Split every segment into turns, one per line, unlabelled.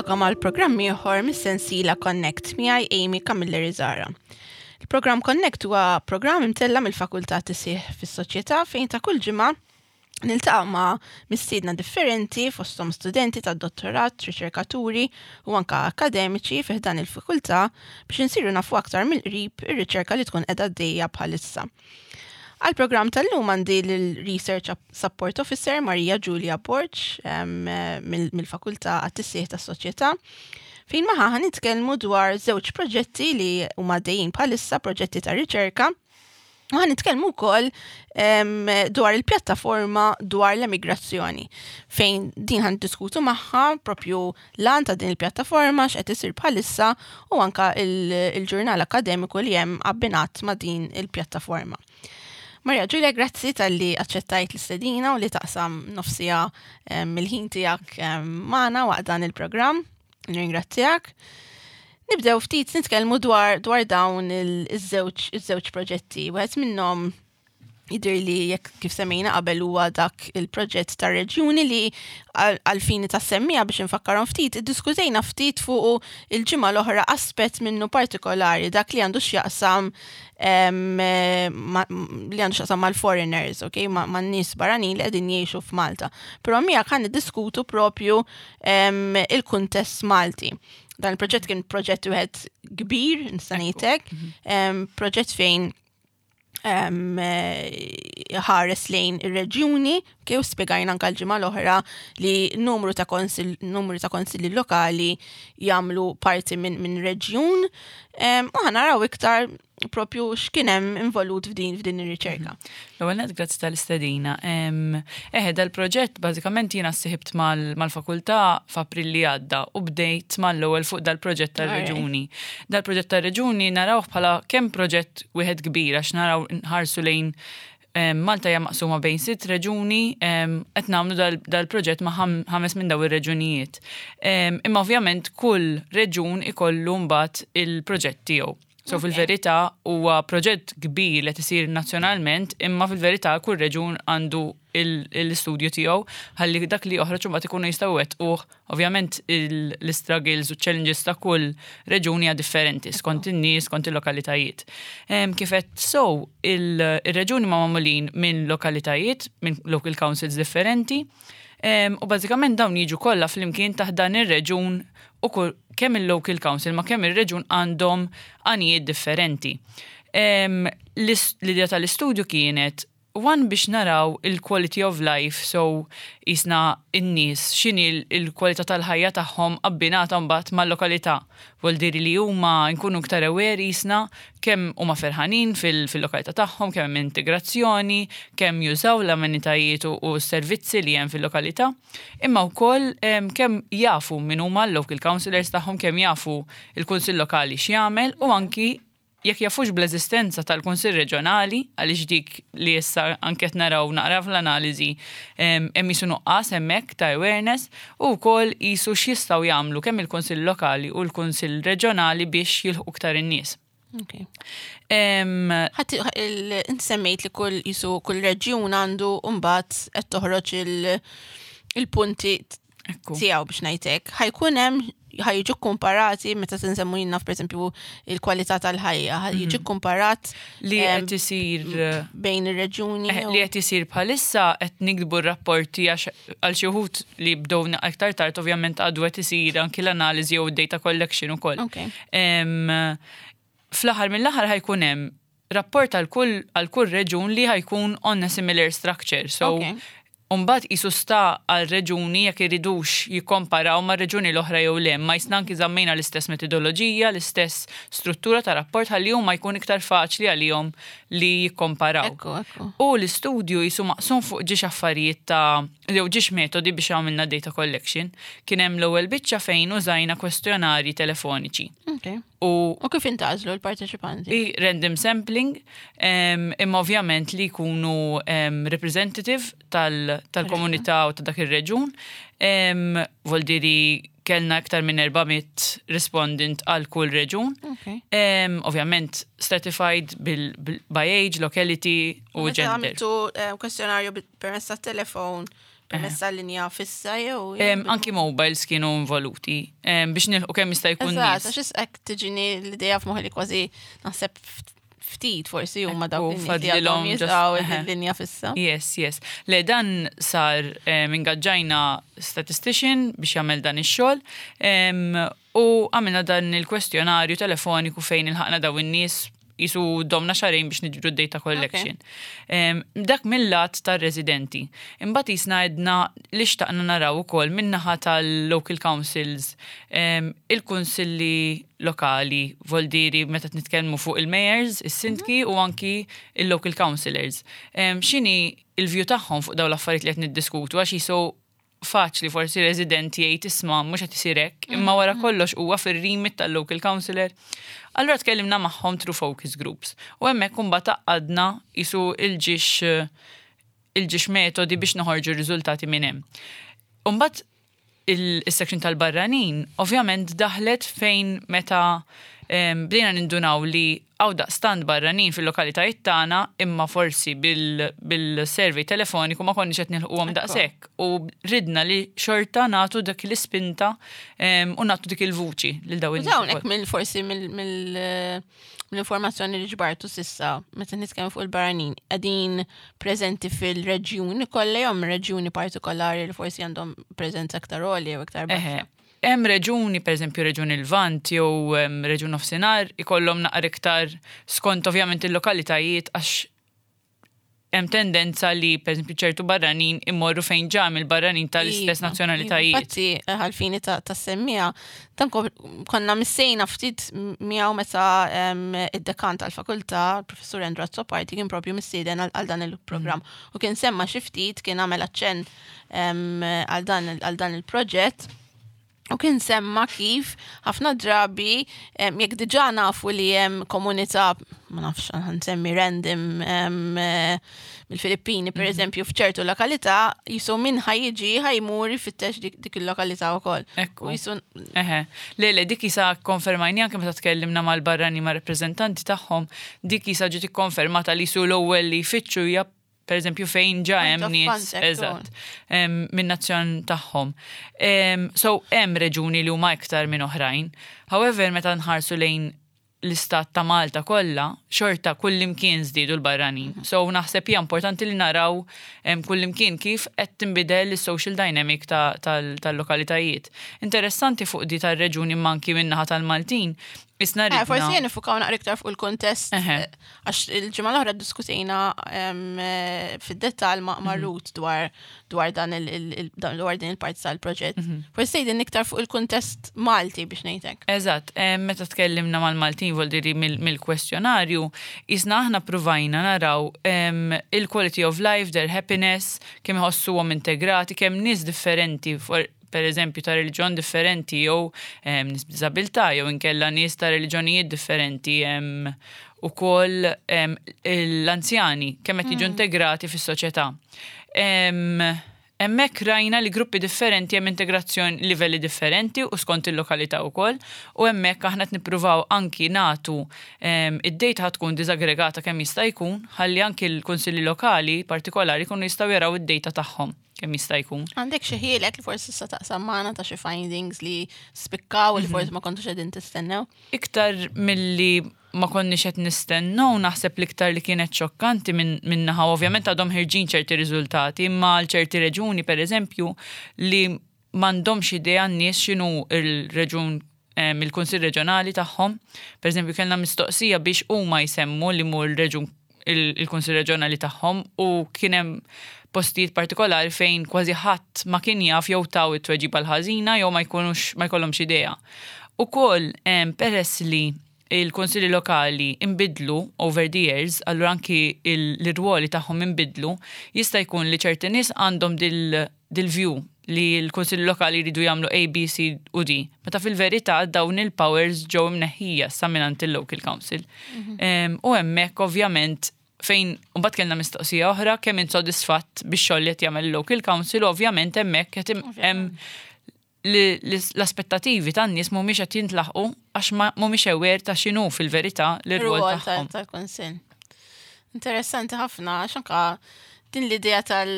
Nilqakom għal programm ieħor mis-sensiela Connect miegħi Amy Camilleri Zara. Il-programm Connect huwa programm imtella mill-Fakultà Tisih fis-Soċjetà fejn ta' kull ġimgħa niltaqa' ma' mistiedna differenti fosthom studenti tad-dottorat, riċerkaturi u anka akademiċi fi ħdan il-fakultà biex insiru nafu aktar mill-qrib ir-riċerka li tkun qiegħda għaddejja bħalissa. Għal-programm tal-lum għandi l-Research Support Officer Maria Giulia Borg mill-Fakultà għat-Tisħiħ tas-Soċjetà fejn magħha ħa nitkellmu dwar żewġ proġetti li huma għaddejjin bħalissa, proġetti ta' riċerka. U ħa nitkellmu wkoll dwar il-pjattaforma dwar l-emigrazzjoni fejn din ħa niddiskutu magħha propju l-għan ta' din il-pjattaforma x'qed isir bħalissa u anka il-ġurnal akademiku li hemm abbinat ma' din il-pjattaforma. Maria Giulia, grazzi talli aċċettajt l-istedina u li taqsam nofsija mill-ħin tiegħek magħna waqt dan il-programm. Nirringrazzjak. Nibdew ftit nitkellmu dwar dwar dawn iż-żewġ iż-żewġ proġetti. Wieħed minnhom jidher li jekk kif semmejna qabel huwa dak il-proġett tar reġjuni li għal-fini ta' semmija biex nfakkarhom ftit, iddiskutejna ftit fuq il-ġimgħa l-oħra aspett minnu partikolari dak li għandu x'jaqsam li għandu x'jaqsam mal-foreigners, ok, man-nies barranin li qegħdin jgħixu f'Malta. Però miegħek ħa niddiskutu propju il-kuntest Malti. Dan il-proġett kien proġett wieħed kbir, nista' ngħidlek, proġett fejn ħares lejn ir-reġjuni, kif spjegajna anke l-ġimgħa l-oħra li numru ta' konsil, numru ta' konsilli lokali jagħmlu parti minn min reġjun u ħa naraw iktar propju x'kien hemm involut f'din f'din ir-riċerka.
L-ewwel nett grazzi tal-istedina. Eħe, dal-proġett bażikament jiena ssiħibt mal-fakultà f'April li għadda u bdejt mal-ewwel fuq dal-proġett tar-reġuni. Dal-proġett tar-reġuni narawh bħala kemm proġett wieħed kbir għax naraw nħarsu lejn Malta hija maqsuma bejn sitt reġuni, qed nagħmlu dal-proġett ma' ħames minn daw ir-reġunijiet. Imma ovvjament kull reġun ikollu mbagħad il-proġett tiegħu. So fil-verità huwa proġett kbir li qed isir nazzjonalment, imma fil-verità kull reġun għandu l-istudju tiegħu ħalli dak li joħroġ imbagħad ikunu jistgħu wettquh. Ovvjament l-istruggles u challenges ta' kull reġun hija differenti skont in-nies, skont il-lokalitajiet. Kif qed so il-reġuni ma magħmulin minn lokalitajiet, minn local councils differenti, u bażikament dawn jiġu kollha flimkien taħt dan ir-reġun u kull kemm il-local council ma kemm ir-reġun għandhom għanijiet differenti. L-idea tal-istudju kienet one biex naraw il-quality of life, so jisna n-nies x'inhi l-kwalità tal-ħajja tagħhom abbinata mbagħad mal-lokalità. Vuol li huma nkunu iktar aware jisna kemm huma ferħanin fil-lokalità tagħhom, kemm hemm integrazzjoni, kemm jużaw l-amenitajiet u s-servizzi li hemm fil-lokalità, imma wkoll kemm jafu min huma l-local councillors tagħhom, kemm jafu il-kunsill lokali x'jagħmel u anki jekk jafux bl-eżistenza tal-Kunsill Reġjonali, għaliex dik li issa anke qed naraw naqra fl-analiżi hemm qisu nuqqas hemmhekk ta' awareness u wkoll qisu x'jistgħu jagħmlu kemm il-Kunsill Lokali u l-Kunsill Reġjonali biex jilħqu iktar in-nies.
Okay. Inti semmejt li kull jisu kull reġjun għandu mbagħad qed toħroġ il-punti tiegħu biex ngħidlek. Ħa jkun hemm ħa jiġu komparati meta tinsemmu jiena pereżempju il-kwalità tal-ħajja, ħa jiġi komparat
li qed isir
bejn ir-reġjuni.
Li qed isir bħalissa qed niktbu r-rapporti għax għal xi wħud li bdew aktar tard ovvjament għadu qed isir anki l-analiżi jew data collection ukoll. Fl-aħħar mill-aħħar ħa jkun hemm rapport għal kull għal kull reġun li ħa jkun on a similar structure. So Umbagħad qisu sta għal reġuni jekk iridux jikkomparaw ma' reġuni l-oħra jew le, ma jisna anki żammejna l-istess metodoloġija, l-istess struttura ta' rapport ħalli huma jkun iktar faċli għalihom li jikkomparaw.
Ekku, ekku.
U l-istudju jisu maqsum fuq ġiex affarijiet ta' jew ġiex metodi biex għamilna data collection. Kien hemm l-ewwel biċċa fejn użajna kwestjonarji telefoniċi.
Okay. U, u kif intgħażlu l-parteċipanti?
I random sampling, imma ovvjament li jkunu representative tal-komunità u ta' dak ir-reġun. Voldiri kellna iktar minn 400 respondent għal kull reġun.
Okay.
Ovvjament stratified bil, bil, by age, locality u
Meta
gender.
għamiltu kwestjonarju permezz tat-telefon. Permezz tal-linja fissa jew.
Anki mobiles kienu involuti biex nilħu kemm jista' jkun.
Eżatt, għax hekk tiġini l-idea f'moħħi li kważi naħseb ftit forsi huma dawk li għadhom jużaw il-linja fissa.
Yes. Le dan sar ingaġġajna statistician biex jagħmel dan ix-xogħol u għamilna dan il-kwestjonarju telefoniku fejn ilħaqna daw in-nies jisu domna xahrejn biex niġbru data collection. Dak mill-lat tar-residenti. Imbagħad jisna għedna li xtaqna naraw ukoll min-naħa tal-local councils, il-kunsilli lokali, voldiri meta nitkellmu fuq il-mayors, is-sindki u anki il-local councillors. X'inhi il-view tagħhom fuq dawn l-affarijiet li qed niddiskutu għax jisu faċli forsi resident jgħid isma' mhux qed isir hekk, imma wara kollox huwa fir-remit tal-local councillor. Allura tkellimna magħhom through focus groups. U hemmhekk imbagħad għaqqadna jisu il-ġiex metodi biex noħorġu r-riżultati minn hemm. Imbagħad il-section tal-barranin ovvjament daħlet fejn meta bdejna nindunaw li hawn daqstant barranin fil-lokalitajiet tagħna imma forsi bil-survey telefoniku ma konniex qed nilħquhom daqshekk u ridna li xorta nagħtu dak l-ispinta u nagħtu dik il-vuċi lil dawn
in Dawn hekk mill forsi mill-informazzjoni li ġbartu s'issa meta nitkellmu fuq il-barranin qegħdin preżenti fil-reġjuni kollha jew reġjuni partikolari li forsi għandhom preżenza aktar għolja jew iktar baxxa.
Hemm reġuni, per eżempju reġun il-Lvant jew reġun nofsinhar, ikollhom naqra iktar skont ovvjament il-lokalitajiet għax hemm tendenza li per eżempju ċertu barranin immorru fejn ġa il-barranin tal-istess nazzjonalitajiet.
Infatti, għalfini ta' semmija, dan konna missejna ftit miegħu meta id-dekan tal-fakultà, il-professur Andrew Azzopardi, kien propju mistieden għal dan il-programm. U kien semma xi ftit, kien għamel aċċenn għal dan il-proġett. U kien semma kif ħafna drabi jekk diġà nafu li hemm komunità, ma nafx nsemmi random mill-Filippini per eżempju f'ċertu lokalità, jisu min ħa jiġi ħa jmur ifittex dik il-lokalità wkoll.
Ekku. Eħe. Le, dik jisa konfermajni anke meta tkellimna mal-barrani ma' rappreżentanti tagħhom, dik jisa ġiet ikkonfermata li su l-ewwel li jfittxu hija per eżempju fejn ġa hemm nies eżatt minn nazzjon tagħhom. So hemm reġuni li huma iktar minn oħrajn. However, meta nħarsu lejn l-istat ta' Malta kollha, xorta kullimkien żdiedu l-barranin. So naħseb hija importanti li naraw kullimkien kif qed tinbidel is-social dynamic tal-lokalitajiet. Interessanti fuq di tar-reġuni manki min-naħa tal-Maltin, Isna
ridna. Forsi jien nifukaw naqra iktar fuq il-kontest, għax il-ġimgħa l-oħra diskutejna fid-dettall ma' Ruth dwar dan dwar din il-parti tal-proġett. Forsi tgħidilna iktar fuq il-kuntest Malti biex ngħidlek.
Eżatt, meta tkellimna mal-Maltin voldiri mill-kwestjonarju, isna aħna provajna naraw il-quality of life, their happiness, kemm iħossuhom integrati, kemm nies differenti per eżempju ta' reliġjon differenti jew nies b'diżabilità jew inkella nies ta' reliġjonijiet differenti ukoll l-anzjani kemm qed jiġu integrati fis-soċjetà. Hemmhekk rajna li gruppi differenti hemm integrazzjoni livelli differenti u skont il-lokalità wkoll u hemmhekk aħna qed nippruvaw anki nagħtu id-data tkun diżaggregata kemm jista' jkun ħalli anki l-kunsilli lokali partikolari jkunu jistgħu jaraw id-data tagħhom kemm jista' jkun.
Għandek xi ħielek li forsi issa taqsam magħna ta' xi findings li spikkaw li forsi ma kontux qegħdin tistennew?
Iktar milli ma konniex qed nistennew, naħseb l-iktar li kienet xokkanti minn naħa, ovvjament għadhom ħirġin ċerti riżultati, imma għal ċerti reġuni per eżempju li m'għandhomx idea n-nies x'inhu il-reġun il-Kunsill Reġjonali tagħhom. Per eżempju, kellna mistoqsija biex huma jsemmu li mhu l-reġun il-Kunsill Reġjonali tagħhom u kien hemm postijiet partikolari fejn kważi ħadd ma kien jaf jew taw it-tweġiba l-ħażina jew ma jkunux ma jkollhomx idea. Ukoll peress li il-konsilli lokali imbidlu over the years, allura anki l-irwoli tagħhom imbidlu, jista' jkun li ċerti nies għandhom dil-view li l-konsilli lokali jridu jagħmlu A, B, C u D. Meta fil-verità dawn il-powers ġew imneħħija sa mingħand il-local council. U hemmhekk ovvjament fejn mbagħad kellna mistoqsija oħra kemm int sodisfatt bix-xogħol li qed jagħmel il-local council u ovvjament hemmhekk qed hemm l-aspettativi tan-nies mhumiex qed jintlaħqu għax mhumiex aware ta' x'inhu fil-verità l-irwol tagħhom.
Tal-kunsill. Interessanti ħafna għax anka din l-idea tal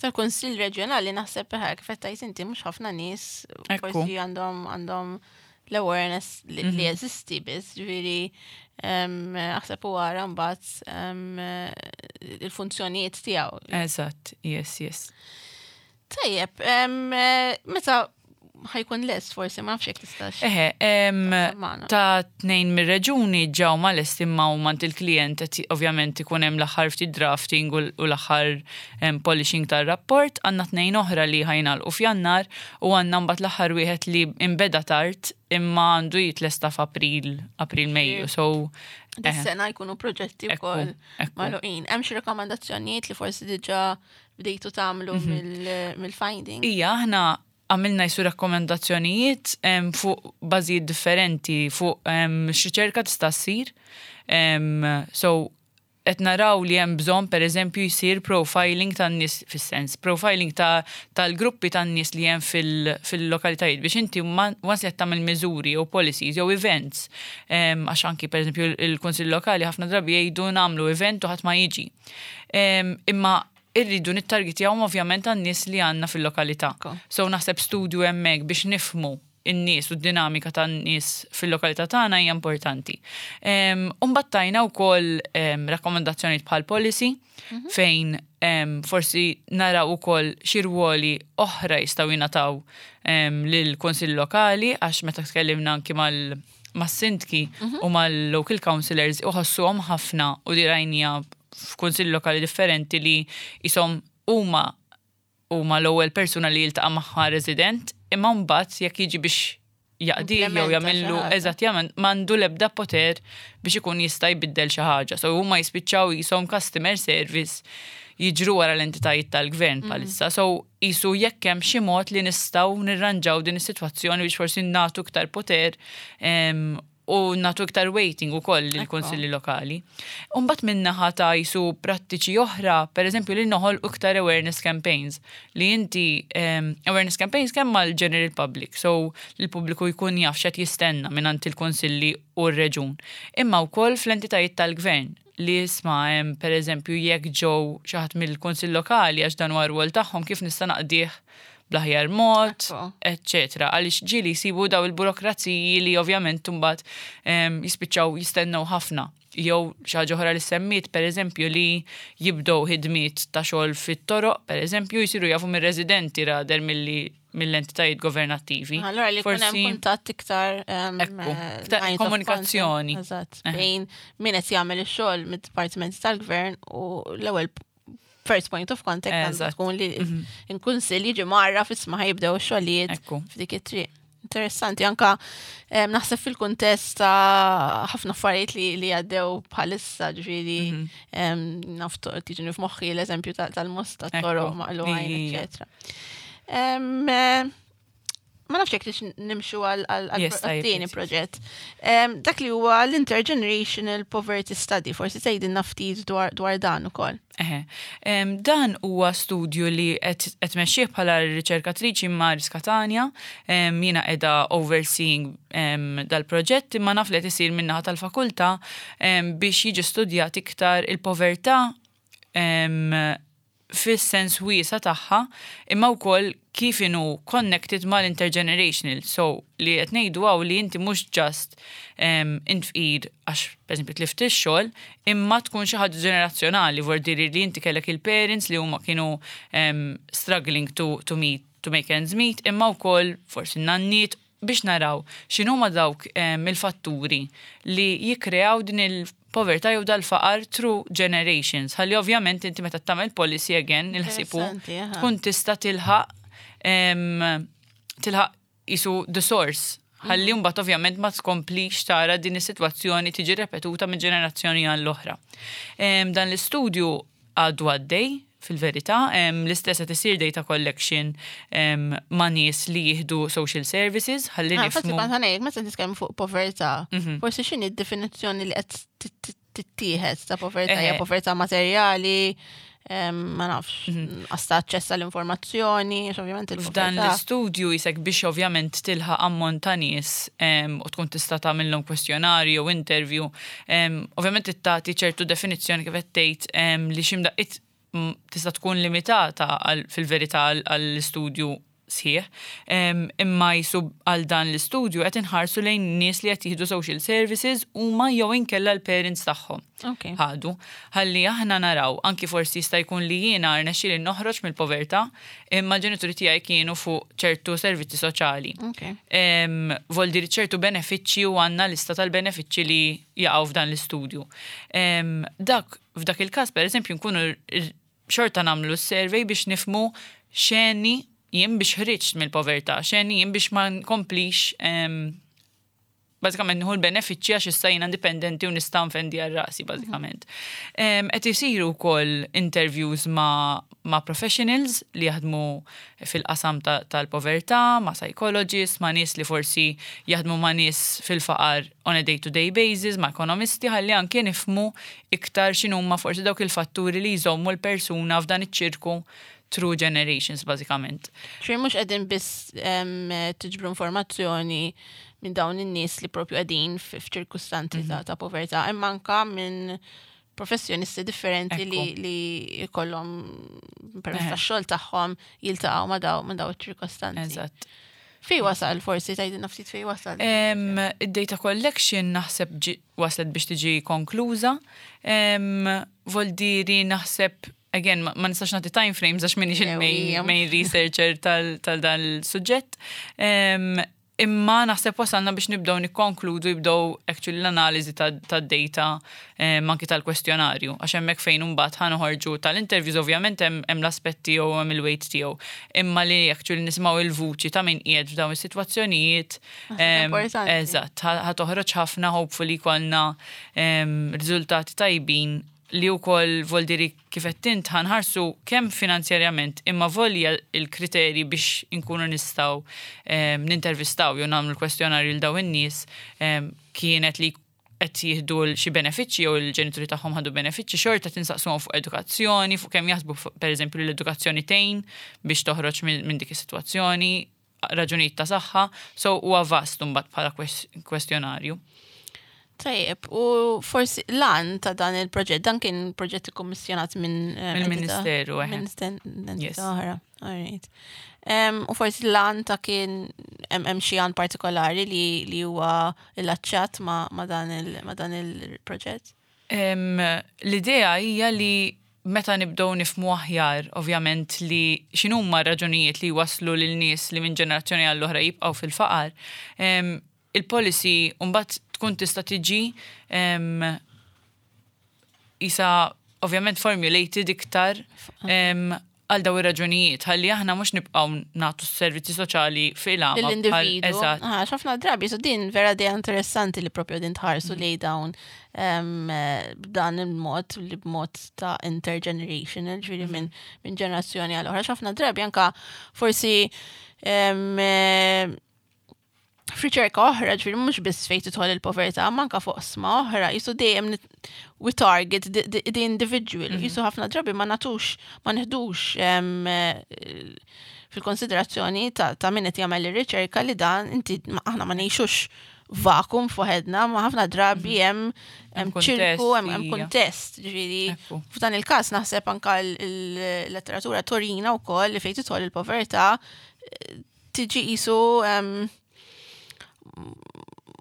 Tal-Kunsill Reġjonali naħseb kif qed tgħid inti mhux ħafna nies forsi għandhom għandhom l-awareness li jeżisti biss, ġifieri aħseb u għara mbagħad il-funzjonijiet tiegħu.
Eżatt, yes.
Tajjeb, meta ħajkun lest forsi ma nafx jekk tistax.
Eħe, ta' tnejn mir-reġuni ġew ma lest imma u mant il-klient qed ovvjament ikun hemm l-aħħar ftit drafting u l-aħħar polishing tar-rapport, għandna tnejn oħra li ħa jingħalqu f'Jannar u għandna mbagħad l-aħħar wieħed li imbeda tard imma għandu jitlesta f'April, April Mejju. So
Dis-sena jkunu proġetti wkoll magħluqin. Hemm xi rakkomandazzjonijiet li forsi diġà bdejtu tagħmlu mill-finding?
Ija, aħna għamilna jisu rakkomandazzjonijiet fuq bażijiet differenti, fuq x'riċerka tista' ssir. So, qed naraw li hemm bżonn pereżempju jsir profiling tan-nies fis-sens, profiling tal-gruppi tan-nies li hemm fil-lokalitajiet biex inti once li qed tagħmel miżuri jew policies jew events, għax anki pereżempju il-Kunsill Lokali ħafna drabi jgħidu nagħmlu event u ħadd ma jiġi. Imma irridu nittargetjawhom ovvjament għan-nies li għandna fil-lokalità. So naħseb studju hemmhekk biex nifhmu in-nies u d-dinamika tan-nies fil-lokalità tagħna hija importanti. U mbagħad tajna wkoll rakkomandazzjonijiet bħal policy fejn forsi naraw ukoll xi rwoli oħra jistgħu jingħataw lill-Kunsill Lokali għax meta tkellimna anki mal mas-sindki u mal-local councillors uħossuhom ħafna u di rajnija f'kunsilli lokali differenti li jisom huma huma l-ewwel persuna li jiltaqa' magħha resident, imma mbagħad jekk jiġi biex jaqdi jew
Implementa xi
jagħmillu
ħaġa.
Eżatt, jagħmel m'għandu l-ebda poter biex ikun jista' jbiddel xi ħaġa. So huma jispiċċaw jisom customer service jiġru wara l-entitajiet tal-gvern bħalissa. So jisu jekk hemm xi mod li nistgħu nirranġaw din is-sitwazzjoni biex forsi nagħtu iktar poter u nagħtu iktar weighting ukoll lill-kunsilli lokali. Umbagħad min-naħa ta' jisu prattiċi oħra, per eżempju li noħol iktar awareness campaigns li inti awareness campaigns kemm mal-general public, so l-pubbliku jkun jaf x'qed jistenna minn il-kunsilli u r-reġun. Imma wkoll fl-entitajiet tal-gvern li isma' hemm per eżempju jekk ġew xi ħadd mill-kunsill lokali għax dan huwa rwol tagħhom kif nista' naqdih bl-aħjar mod, eccetera. Għaliex ġieli jsibu daw il-burokraziji li ovvjament mbagħad jispiċċaw jistennew ħafna. Jew xi ħaġa oħra li semmiet, per eżempju, li jibdew ħidmiet ta' xogħol fit-toroq, per eżempju, jisiru jafu mir-residenti rather milli mill-entitajiet governattivi.
Allora li jkun hemm kuntatt iktar
Ekku, iktar
lines of
komunikazzjoni.
contact, eżatt, bejn min qed jagħmel ix-xogħol mid-dipartimenti tal-gvern u l-ewwel first point of contact għandu tkun li il-kunsill jiġi marra fisma ħajibdew ix-xogħlijiet f'dik it-triq. Interessanti, anka naħseb fil-kuntest ta' ħafna affarijiet li għaddew bħalissa, ġifieri naf tiġini f'moħħi l-eżempju tal-Mosta, toroq maqlugħin, eccetera. Ma nafx jekk tix nimxu għal
Yes, tajjeb,
tieni proġett. Dak li huwa l-Intergenerational Poverty Study, forsi tgħidilna ftit dwar dan ukoll.
Eħe. Dan huwa studju li qed tmexxih bħala riċerkatriċi Maris Catania. Jiena qiegħda overseeing dal-proġett imma naf li qed isir min-naħa tal-fakultà biex jiġi studjat iktar il-povertà fis-sens wiesa tagħha imma wkoll kif inhu connected mal-intergenerational. So li qed ngħidu hawn li inti mhux just int fqir għax pereżempju tlift ix-xogħol, imma tkun xi ħaġa ġenerazzjonali, vuol dire li inti kellek il-parents li huma kienu struggling to meet to make ends meet, imma wkoll forsi n-nanniet biex naraw x'inhuma dawk il-fatturi li jikkreaw din il-povertà jew dal-faqar through generations. Ħalli ovvjament inti meta tagħmel policy again il-ħsibu
Interessanti, aha.
tkun tista' tilħaq isu the source. Ħalli mbagħad ovvjament ma tkomplix tara din is-sitwazzjoni tiġi repetuta minn ġenerazzjoni għall-oħra. Dan l-istudju għadu għaddej fil-verità, l-istess qed isir data collection ma' nies li jieħdu social services, ħalli
Infatti
nifhmu.
kont ħa ngħid, meta nitkellmu fuq povertà, forsi x'inhi d-definizzjoni li qed tittieħed ta' povertà, hija povertà materjali, ma nafx, għasta aċċess għall-informazzjoni, għax ovvjament
F'dan
il-povertà.
l-istudju jisek biex ovvjament tilħaq ammont ta' nies u tkun tista' tagħmilhom kwestjonarju jew interview, ovvjament tagħti ċertu definizzjoni kif qed tgħid li x'imdaqqiet tista' tkun limitata fil-verità għall-istudju sħiħ, imma jisu għal dan l-istudju qed inħarsu lejn nies li qed jieħdu social services huma jew inkella l-parents tagħhom. Ħadu. Ħalli aħna naraw, anki forsi jista' jkun li jiena rnexxieli noħroġ mill-povertà, imma l-ġenituri tiegħi kienu fuq ċertu servizzi soċjali. Vuol dire ċertu benefiċċji u għandna lista tal-benefiċċji li jaqgħu f'dan l-istudju. Dak f'dak il-każ, per eżempju, nkunu xorta nagħmlu s-survey biex nifhmu x'għenni jien biex ħriġt mill-povertà, x'għenni jien biex ma nkomplix bażikament nieħu l-benefiċċji għax issa jiena indipendenti u nista' nfendi għal rasi bażikament. Qed isiru wkoll interviews ma' professionals li jaħdmu fil-qasam tal-povertà, ma' psychologists, ma' nies li forsi jaħdmu ma' nies fil-faqar on a day-to-day basis, ma' ekonomisti, ħalli anke nifhmu iktar x'inhuma forsi dawk il-fatturi li jżommu l-persuna f'dan iċ-ċirku through generations bażikament.
Ċi mhux qegħdin biss tiġbru informazzjoni minn dawn in-nies li propju qegħdin f'ċirkustanzi ta' povertà, imma anka minn professjonisti differenti li jkollhom permezz tax-xogħol tagħhom jiltaqgħu ma' daw iċ-ċirkostanzi.
Eżatt.
Fej wasal forsi tgħidilna ftit fej wasal?
Id-data collection naħseb waslet biex tiġi konkluża. Voldiri naħseb, again, ma nistax nagħti time frames għax minix il-main main researcher tal dan il-suġġett. Imma naħseb wasalna biex nibdew nikkonkludu, jibdew actually l-analiżi tad-data anki tal-kwestjonarju. Għax hemmhekk fejn imbagħad ħa noħorġu tal-interviews, ovvjament hemm l-aspetti jew hemm il-weight tiegħu. Imma li actually nisimgħu il-vuċi ta' min qiegħed f'dawn is-sitwazzjonijiet.
Importanti.
Eżatt, ħa toħroġ ħafna, hopefully jkollna riżultati tajbin li wkoll voldiri kif qed int ħa nħarsu kemm finanzjarjament imma volja il-kriteri biex inkunu nistgħu nintervistaw jew nagħmlu l-kwestjonarju l dawn in-nies kienet li qed jieħdu xi benefiċċji jew il-ġenituri tagħhom ħadu benefiċċji, xorta tinsaqsuhom fuq edukazzjoni, fuq kemm jaħsbu pereżempju li l-edukazzjoni tgħin biex toħroġ minn dik is-sitwazzjoni, raġunijiet ta' saħħa, so huwa vast imbagħad bħala kwestjonarju.
Tajjeb, u forsi l-għan ta' dan il-proġett, dan kien proġett ikkommissjonat minn
Mill-Ministeru, eħe.
Minn entità oħra. Alright. U forsi l-għan ta' kien hemm xi għan partikolari li huwa illaċċat ma' dan il-proġett?
L-idea hija li meta nibdew nifhmu aħjar, ovvjament, li x'inhuma raġunijiet li waslu lil nies li minn ġenerazzjoni għall-oħra jibqgħu fil-faqar, il-policy mbagħad tkun tista' tiġi isa ovvjament formulated iktar għal daw ir-raġunijiet, ħalli aħna mhux nibqgħu nagħtu s-servizzi soċjali fil-għama.
L-individu.
Eżatt.
Ah, ħafna drabi, so din vera idea interessanti li propju din tħarsu li dawn b'dan il-mod, li b'mod ta' intergenerational, ġifieri minn ġenerazzjoni għal oħra. Ħafna drabi anka forsi f'riċerka oħra, ġifieri mhux biss fejn tidħol il-povertà, ma anka fuq oqsma oħra, jisu dejjem we target the individual, jisu ħafna drabi ma nagħtux, ma neħdux fil-konsiderazzjoni ta' min qed jagħmel ir-riċerka li dan inti aħna ma ngħixux vakum fuħedna, ma ħafna drabi hemm
kuntest,
ċirku, hemm kuntest, ġifieri f'dan il-każ naħseb anka l-letteratura turina wkoll li fejn tidħol il-povertà tiġi qisu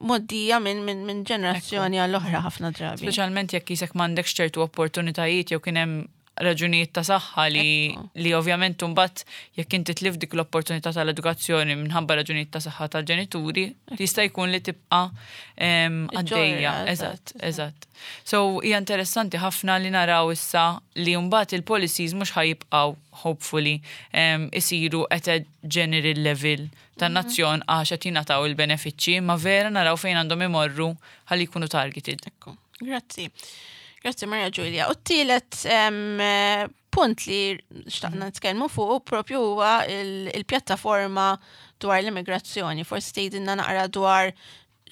mgħoddija minn ġenerazzjoni għall-oħra ħafna drabi.
Speċjalment jekk jisek m'għandekx ċertu opportunitajiet jew kien hemm raġunijiet ta' saħħa li ovvjament imbagħad jekk inti tlif dik l-opportunità tal-edukazzjoni minħabba raġunijiet ta' saħħa tal-ġenituri, jista' jkun li tibqa' għaddejja.
Iġġorra,
Eżatt, eżatt. So hija interessanti ħafna li naraw issa li mbagħad il-policies mhux ħa jibqgħu hopefully isiru at a general level tan-nazzjon għax qed jingħataw il-benefiċċji, ma vera naraw fejn għandhom imorru ħalli jkunu targeted.
Ekku, grazzi. Grazzi, Maria Giulia. U t-tielet punt li xtaqna nitkellmu fuq propju huwa il-pjattaforma dwar l-immigrazzjoni. Forsi tgħidilna naqra dwar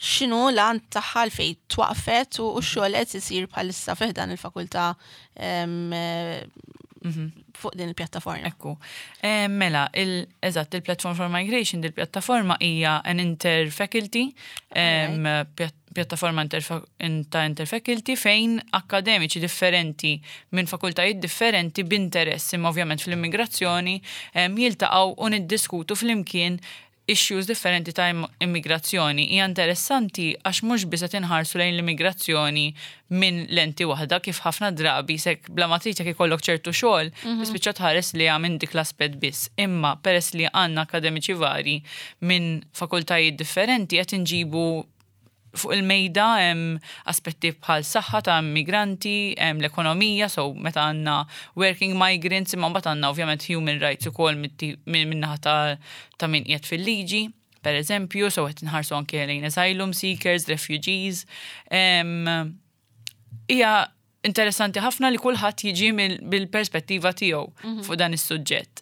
x'inhu l-għan tagħha, fejn twaqfet u x-xogħol qed isir bħalissa fih dan il-fakultà fuq din il-pjattaforma.
Ekku. Mela, eżatt, il-Platform for Migration, il-pjattaforma hija an interfaculty. pjattaforma ta' interfaculty fejn akkademiċi differenti minn fakultajiet differenti b'interess imma ovvjament fl-immigrazzjoni jiltaqgħu u niddiskutu flimkien issues differenti ta' immigrazzjoni. Hija interessanti għax mhux biss qed inħarsu lejn l-immigrazzjoni minn lenti waħda kif ħafna drabi sek bla ma trid jekk ikollok ċertu xogħol, tispiċċa tħares liha minn dik l-aspett biss. Imma peress li għandna akkademiċi vari minn fakultajiet differenti qed inġibu fuq il-mejda hemm aspetti bħal saħħa ta' immigranti, hemm l-ekonomija, so meta għandna working migrants, imma mbagħad għandna ovvjament human rights ukoll min-naħa ta' min qiegħed fil-liġi, per eżempju, so qed inħarsu anke lejn asylum seekers, refugees. Hija interessanti ħafna li kulħadd jiġi bil-perspettiva tiegħu fuq dan is-suġġett.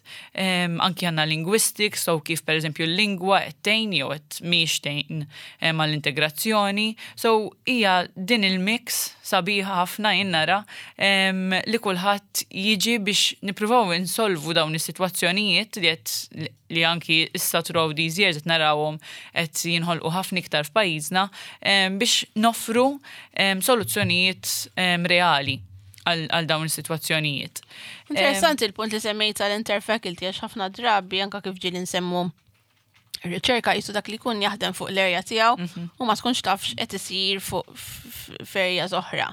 Anki għandna linguistics, so kif per eżempju l-lingwa qed tgħin jew qed mhix tgħin għall-integrazzjoni. So hija din il-mix sabiħa ħafna jien nara li kulħadd jiġi biex nippruvaw insolvu dawn is-sitwazzjonijiet li qed li anki issa throughout these years qed narawhom qed jinħolqu ħafna iktar f'pajjiżna biex noffru soluzzjonijiet reali għal dawn is-sitwazzjonijiet.
Interessanti il-punt li semmejt tal-interfaculty għax ħafna drabi anka kif ġieli nsemmu riċerka jisu dak li jkun jaħdem fuq l-area tiegħu u ma tkunx taf x'qed isir fuq f'areas oħra.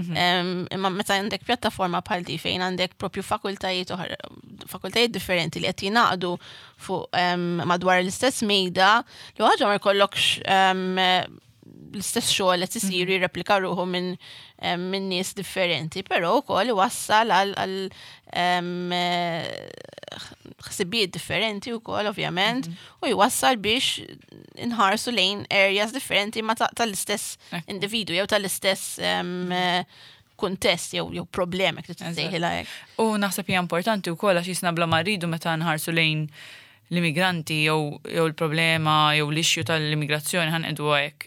Imma meta għandek pjattaforma bħal di fejn għandek propju fakultajiet oħra, fakultajiet differenti li qed jingħaqdu fuq madwar l-istess mejda, li ħaġa ma jkollokx l-istess xogħol qed isir jirreplika ruħu minn nies differenti, però wkoll iwassal għal ħsibijiet differenti wkoll ovvjament u jwassal biex inħarsu lejn areas differenti ma tal-istess individu jew tal-istess kuntest jew problema kif tissejħilha hekk.
U naħseb hija importanti wkoll għax jisna bla ma rridu meta nħarsu lejn l-immigranti jew il-problema jew l-issue tal-immigrazzjoni ħa ngħidu hekk.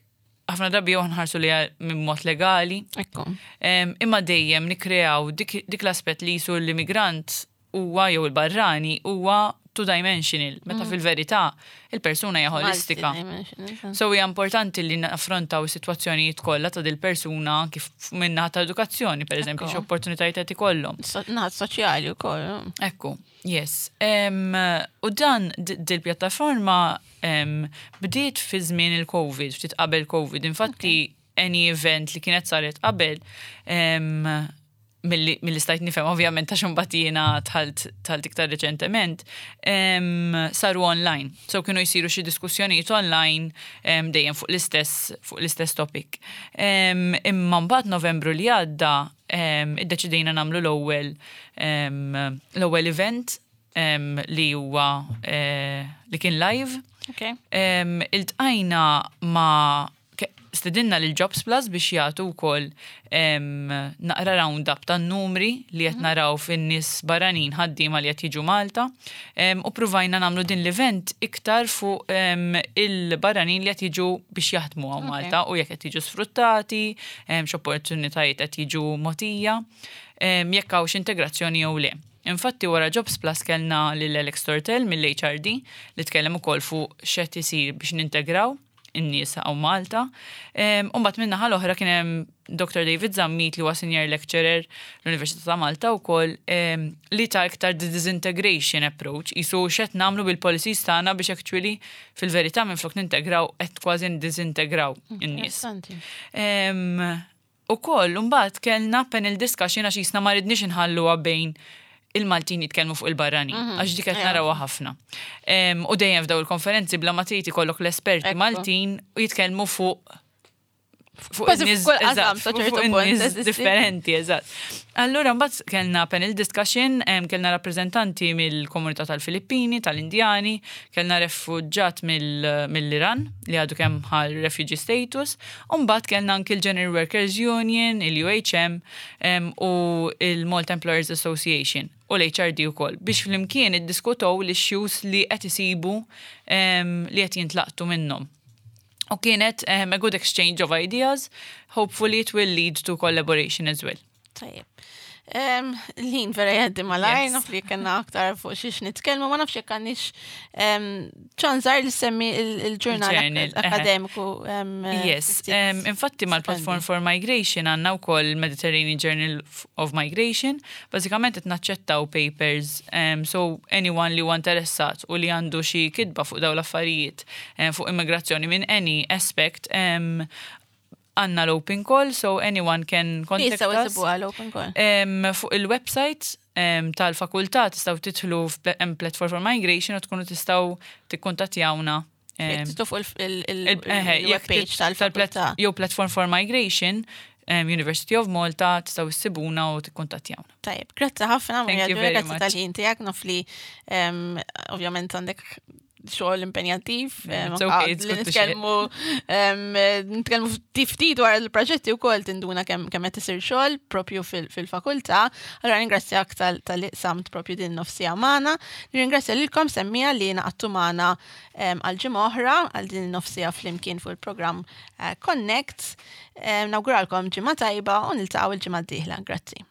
Ħafna drabi jew nħarsu li minn mod legali. Imma dejjem nikreaw dik l-aspett li jisu l-immigrant huwa jew il-barrani huwa two-dimensional, meta fil-verità il-persuna hija holistika.
Multi-dimensional.
So hija importanti li naffrontaw is-sitwazzjonijiet kollha ta' dil-persuna kif minnaħa ta' edukazzjoni, per eżempju, x'opportunitajiet qed ikollhom.
Naħat soċjali wkoll.
Ekku, yes. U dan dil-pjattaforma bdiet fi żmien il-Covid, ftit qabel Covid. Infatti, any event li kienet saret qabel, milli stajt nifhem ovvjament ta' imbagħad jiena dħalt iktar reċentement, saru online. So kienu jsiru xi diskussjonijiet online dejjem fuq l-istess topic. Imma mbagħad Novembru li għadda iddeċidejna nagħmlu l-ewwel event li huwa li kien live. Iltqajna ma' stedinna lil Jobs Plus biex jagħtu wkoll naqra round-up tan-numri li qed naraw fin-nies barranin ħaddiema li qed jiġu Malta. U pruvajna nagħmlu din l-event iktar fuq il-barranin li qed jiġu biex jaħdmu hawn Malta u jekk qed jiġu sfruttati, x'opportunitajiet qed jiġu mogħtija, jekk hawnx integrazzjoni jew le. Infatti wara Jobs Plus kellna lil Alex Tortel mill-HRD li tkellem ukoll fuq x'qed isir biex nintegraw in-nies hawn Malta. U mbagħad min-naħa l-oħra kien hemm Dr. David Zammit li huwa senior lecturer l-Università ta' Malta wkoll li ta' iktar the disintegration approach, jisu x'qed nagħmlu bil-policies tagħna biex actually fil-verità minflok nintegraw qed kważi ndisintegraw in-nies.
Interessanti.
U koll, mbagħad kellna panel discussion għax jisna ma ridniex inħalluha bejn il-Maltin jitkellmu fuq il-barranin, għax dik qed narawha ħafna. U dejjem f'daw il-konferenzi bla ma trid ikollok l-esperti Maltin u jitkellmu fuq
Kważi
in-nies
fuq kull qasam
eżatt,
sa ċertu
fuq
punt,
in-nies
eżisti.
differenti, eżatt. Allura mbagħad kellna panel discussion, kellna rappreżentanti mill-komunità tal-Filippini, tal-Indjani, kellna refuġġat mill-Iran li għadu kemm ħa refugee status, u mbagħad kellna anki l-General Workers Union, il-UHM, u il-Malta Employers Association u l-HRD ukoll biex flimkien iddiskutow l-issues li qed isibu li qed jintlaqtu minnhom. U kienet a good exchange of ideas. Hopefully it will lead to collaboration as well.
Tajjeb. L-ħin vera jgħaddi malajr, naf li kena aktar fuq xiex nitkellmu, ma nafx jekk għandix ċanżar li semmi il-ġurnal akademiku.
Yes, infatti mal-Platform for Migration għandna wkoll Mediterranean Journal of Migration, bażikament qed naċċettaw papers, so anyone li huwa interessat u li għandu xi kitba fuq dawn l-affarijiet fuq immigrazzjoni minn any aspect, għanna l-open call, so anyone can contact us.
L-open call?
Fuq il-website tal-fakultà tistgħu tidħlu Platform for Migration u tkunu tistgħu tikkuntattjawna.
Tistgħu fuq il-webpage tal-fakultà.
Jew Platform for Migration, University of Malta, tistgħu ssibuna u tikkuntattjawna.
Tajjeb, grazzi ħafna, Maria, grazzi tal-ħin tiegħek, naf li ovvjament għandek xogħol impenjattiv, li nitkellmu nitkellmu ftit dwar il-proġetti wkoll tinduna kemm kemm qed isir xogħol propju fil-fakultà. Allura ringrazzjak tal-li samt propju din nofsija magħna. Nirringrazzja lilkom semmija li naqattu magħna għal ġimgħa oħra għal din nofsija flimkien fuq il-programm eh, Connect. Nawguralkom ġimgħa tajba u niltaqgħu il-ġimgħa d-dieħla. Grazzi.